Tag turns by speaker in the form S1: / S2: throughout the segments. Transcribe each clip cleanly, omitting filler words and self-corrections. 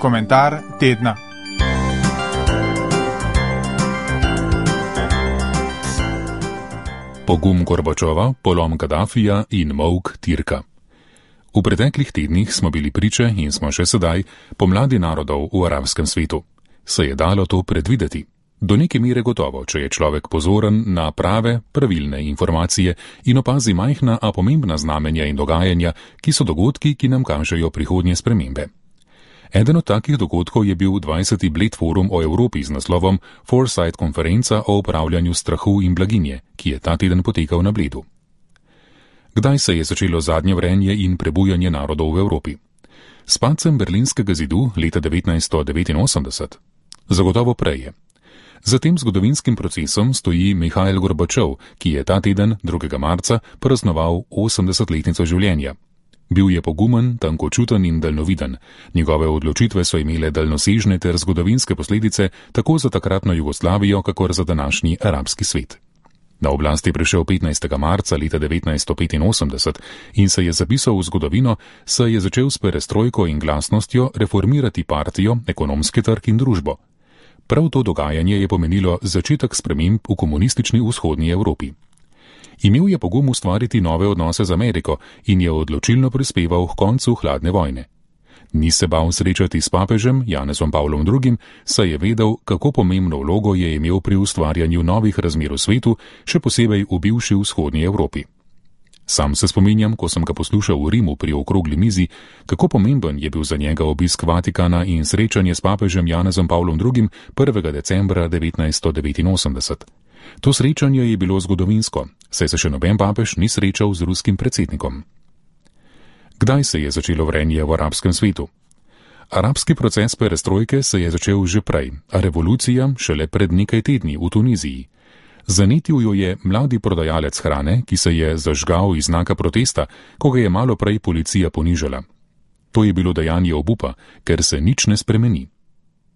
S1: Komentar tedna.
S2: Pogum Gorbačova, polom Kadafija in molk Tirka. V preteklih tednih smo bili priče in smo še sedaj pomladi narodov v arabskem svetu. Se je dalo to predvideti? Do neke mere gotovo, če je človek pozoren na prave, pravilne informacije in opazi majhna, a pomembna znamenja in dogajanja, ki so dogodki, ki nam kažejo prihodnje spremembe. Eden od takih dogodkov je bil 20. Bled forum o Evropi z naslovom Foresight konferenca o upravljanju strahu in blaginje, ki je ta teden potekal na Bledu. Kdaj se je začelo zadnje vrenje in prebujanje narodov v Evropi? S padcem Berlinskega zidu leta 1989? Zagotovo prej. Za tem zgodovinskim procesom stoji Mihail Gorbačov, ki je ta teden, 2. marca, praznoval 80-letnico življenja. Bil je pogumen, tankočuten in daljnoviden. Njegove odločitve so imele daljnosežne ter zgodovinske posledice tako za takratno Jugoslavijo, kakor za današnji arabski svet. Na oblast je prišel 15. marca leta 1985 in se je zapisal v zgodovino, saj je začel s perestrojko in glasnostjo reformirati partijo, ekonomski trg in družbo. Prav to dogajanje je pomenilo začetek sprememb v komunistični vzhodni Evropi. Imel je pogum ustvariti nove odnose z Ameriko in je odločilno prispeval k koncu hladne vojne. Ni se bal srečati s papežem Janezom Pavlom II, saj je vedel, kako pomembno vlogo je imel pri ustvarjanju novih razmer v svetu, še posebej v bivši vzhodni Evropi. Sam se spominjam, ko sem ga poslušal v Rimu pri okrogli mizi, kako pomemben je bil za njega obisk Vatikana in srečanje s papežem Janezom Pavlom II 1. decembra 1989. To srečanje je bilo zgodovinsko, saj se še noben papež ni srečal z ruskim predsednikom. Kdaj se je začelo vrenje v arabskem svetu? Arabski proces perestrojke se je začel že prej, a revolucija šele pred nekaj tedni v Tuniziji. Zanetil jo je mladi prodajalec hrane, ki se je zažgal iz znaka protesta, ko ga je malo prej policija ponižala. To je bilo dejanje obupa, ker se nič ne spremeni.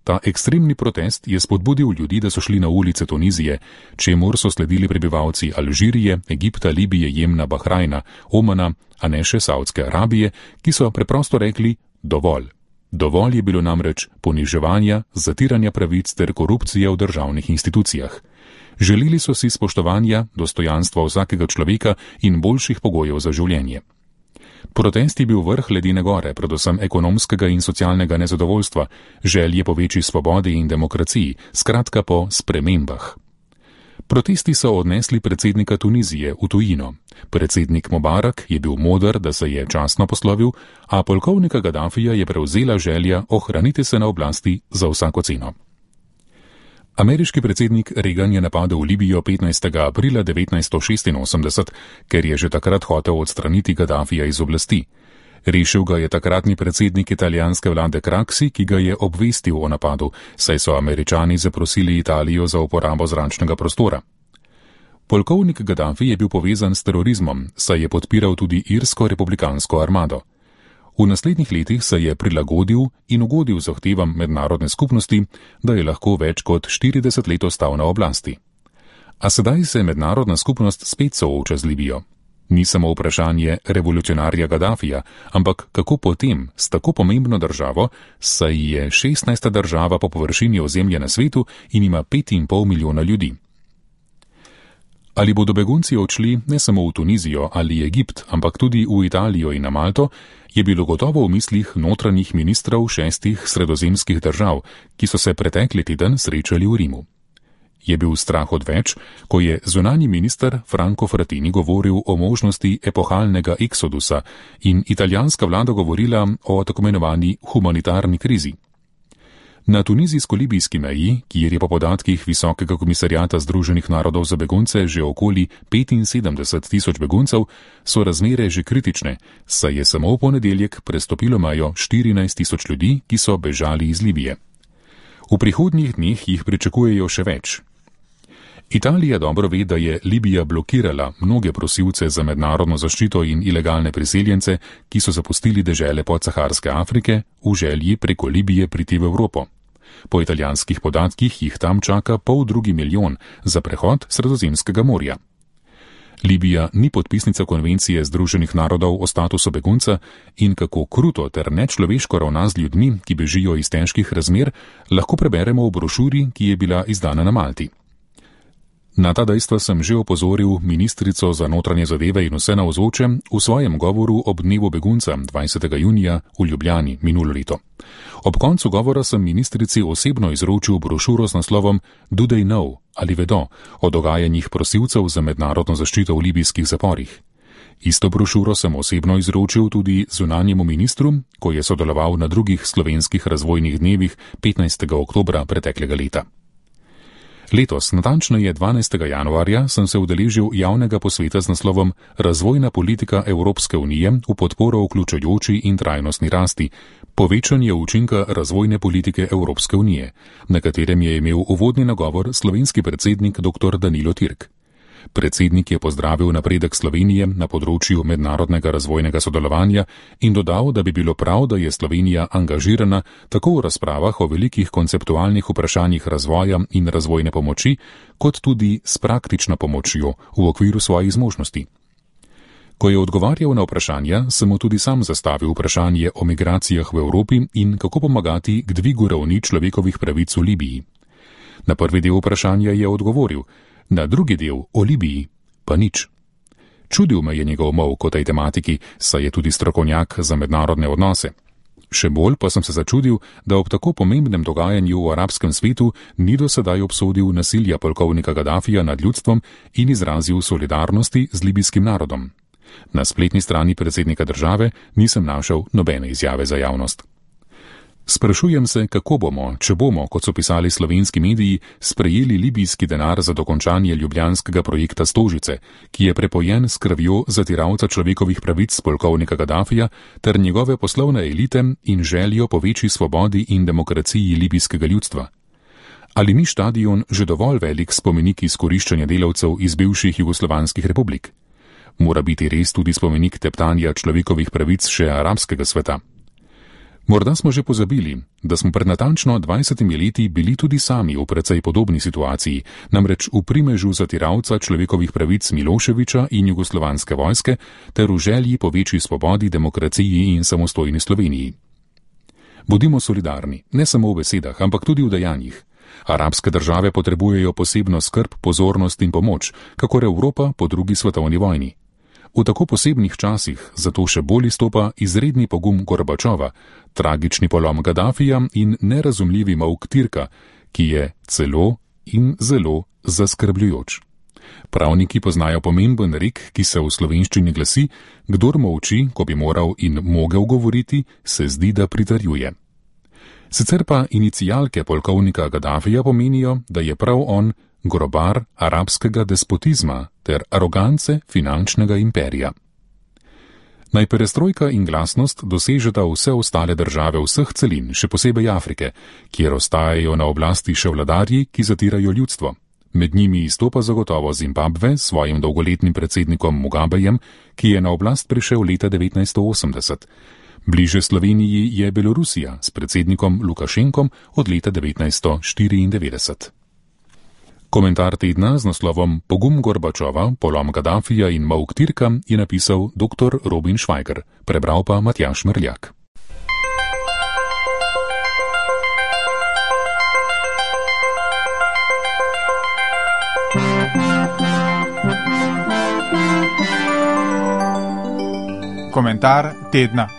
S2: Ta ekstremni protest je spodbudil ljudi, da so šli na ulice Tunizije, čemur so sledili prebivalci Alžirije, Egipta, Libije, Jemna, Bahrajna, Omana, a ne še Saudske Arabije, ki so preprosto rekli dovolj. Dovolj je bilo namreč poniževanja, zatiranja pravic ter korupcije v državnih institucijah. Želeli so si spoštovanja, dostojanstva vsakega človeka in boljših pogojev za življenje. Protest je bil vrh ledene gore, predvsem ekonomskega in socialnega nezadovoljstva, želje po večji svobodi in demokraciji, skratka po spremembah. Protesti so odnesli predsednika Tunizije v tujino. Predsednik Mubarak je bil moder, da se je častno poslovil, a polkovnika Gadafija je prevzela želja ohraniti se na oblasti za vsako ceno. Ameriški predsednik Reagan je napadel Libijo 15. aprila 1986, ker je že takrat hotel odstraniti Gadafija iz oblasti. Rešil ga je takratni predsednik italijanske vlade Craxi, ki ga je obvestil o napadu, saj so Američani zaprosili Italijo za uporabo zračnega prostora. Polkovnik Gaddafi je bil povezan s terorizmom, saj je podpiral tudi irsko republikansko armado. V naslednjih letih se je prilagodil in ugodil zahtevam mednarodne skupnosti, da je lahko več kot 40 let ostal na oblasti. A sedaj se mednarodna skupnost spet sooča z Libijo. Ni samo vprašanje revolucionarja Gaddafija, ampak kako potem s tako pomembno državo, saj je 16. država po površini ozemlja na svetu in ima 5,5 milijona ljudi. Ali bodo begunci odšli ne samo v Tunizijo ali Egipt, ampak tudi v Italijo in na Malto, je bilo gotovo v mislih notranjih ministrov 6 sredozemskih držav, ki so se pretekli teden srečali v Rimu. Je bil strah odveč, ko je zunanji minister Franco Frattini govoril o možnosti epohalnega eksodusa in italijanska vlada govorila o tako imenovani humanitarni krizi. Na tunizijsko-libijski meji, kjer je po podatkih Visokega komisarjata Združenih narodov za begunce že okoli 75 tisoč beguncev, so razmere že kritične, saj je samo v ponedeljek prestopilo mejo 14 tisoč ljudi, ki so bežali iz Libije. V prihodnjih dneh jih pričakujejo še več. Italija dobro ve, da je Libija blokirala mnoge prosilce za mednarodno zaščito in ilegalne priseljence, ki so zapustili dežele podsaharske Afrike v želji preko Libije priti v Evropo. Po italijanskih podatkih jih tam čaka 500 000 za prehod Sredozemskega morja. Libija ni podpisnica konvencije Združenih narodov o statusu begunca in kako kruto ter nečloveško ravna z ljudmi, ki bežijo iz težkih razmer, lahko preberemo v brošuri, ki je bila izdana na Malti. Na ta dejstva sem že opozoril ministrico za notranje zadeve in vse navzoče v svojem govoru ob dnevu begunca 20. junija v Ljubljani minulo leto. Ob koncu govora sem ministrici osebno izročil brošuro z naslovom Do They Know ali vedo o dogajanjih prosilcev za mednarodno zaščito v libijskih zaporih. Isto brošuro sem osebno izročil tudi zunanjemu ministru, ko je sodeloval na drugih slovenskih razvojnih dnevih 15. oktobra preteklega leta. Letos, natančneje 12. januarja, sem se udeležil javnega posveta z naslovom Razvojna politika Evropske unije v podporo vključujoči in trajnostni rasti, povečanje učinka razvojne politike Evropske unije, na katerem je imel uvodni nagovor slovenski predsednik dr. Danilo Türk. Predsednik je pozdravil napredek Slovenije na področju mednarodnega razvojnega sodelovanja in dodal, da bi bilo prav, da je Slovenija angažirana tako v razpravah o velikih konceptualnih vprašanjih razvoja in razvojne pomoči, kot tudi s praktično pomočjo v okviru svojih zmožnosti. Ko je odgovarjal na vprašanja, sem mu tudi sam zastavil vprašanje o migracijah v Evropi in kako pomagati k dvigu ravni človekovih pravic v Libiji. Na prvi del vprašanja je odgovoril, na drugi del o Libiji pa nič. Čudil me je njegov molk o tej tematiki, saj je tudi strokovnjak za mednarodne odnose. Še bolj pa sem se začudil, da ob tako pomembnem dogajanju v arabskem svetu ni do sedaj obsodil nasilja polkovnika Gadafija nad ljudstvom in izrazil solidarnosti z libijskim narodom. Na spletni strani predsednika države nisem našel nobene izjave za javnost. Sprašujem se, kako bomo, če bomo, kot so pisali slovenski mediji, sprejeli libijski denar za dokončanje ljubljanskega projekta Stožice, ki je prepojen s krvjo zatiralca človekovih pravic polkovnika Gadafija ter njegove poslovne elite in željo po večji svobodi in demokraciji libijskega ljudstva. Ali ni štadion že dovolj velik spomenik izkoriščanja delavcev iz bivših jugoslovanskih republik? Mora biti res tudi spomenik teptanja človekovih pravic še arabskega sveta. Morda smo že pozabili, da smo pred natančno 20 leti bili tudi sami v precej podobni situaciji, namreč v primežu zatiralca človekovih pravic Miloševića in jugoslovanske vojske ter v želji po večji svobodi, demokraciji in samostojni Sloveniji. Bodimo solidarni, ne samo v besedah, ampak tudi v dejanjih. Arabske države potrebujejo posebno skrb, pozornost in pomoč, kakor Evropa po drugi svetovni vojni. V tako posebnih časih zato še bolj izstopa izredni pogum Gorbačova, tragični polom Gadafija in nerazumljivi molk Türka, ki je celo in zelo zaskrbljujoč. Pravniki poznajo pomemben rek, ki se v slovenščini glasi: kdor molči, ko bi moral in mogel govoriti, se zdi, da pritrjuje. Sicer pa inicialke polkovnika Gadafija pomenijo, da je prav on grobar arabskega despotizma ter arogance finančnega imperija. Naj perestrojka in glasnost dosežeta vse ostale države vseh celin, še posebej Afrike, kjer ostajajo na oblasti še vladarji, ki zatirajo ljudstvo. Med njimi izstopa zagotovo Zimbabve s svojim dolgoletnim predsednikom Mugabejem, ki je na oblast prišel leta 1980. Bliže Sloveniji je Belorusija s predsednikom Lukašenkom od leta 1994. Komentar tedna z naslovom Pogum Gorbačova, polom Gadafija in molk Türka je napisal dr. Robin Švajger, prebral pa Matjaž Mrljak.
S1: Komentar tedna.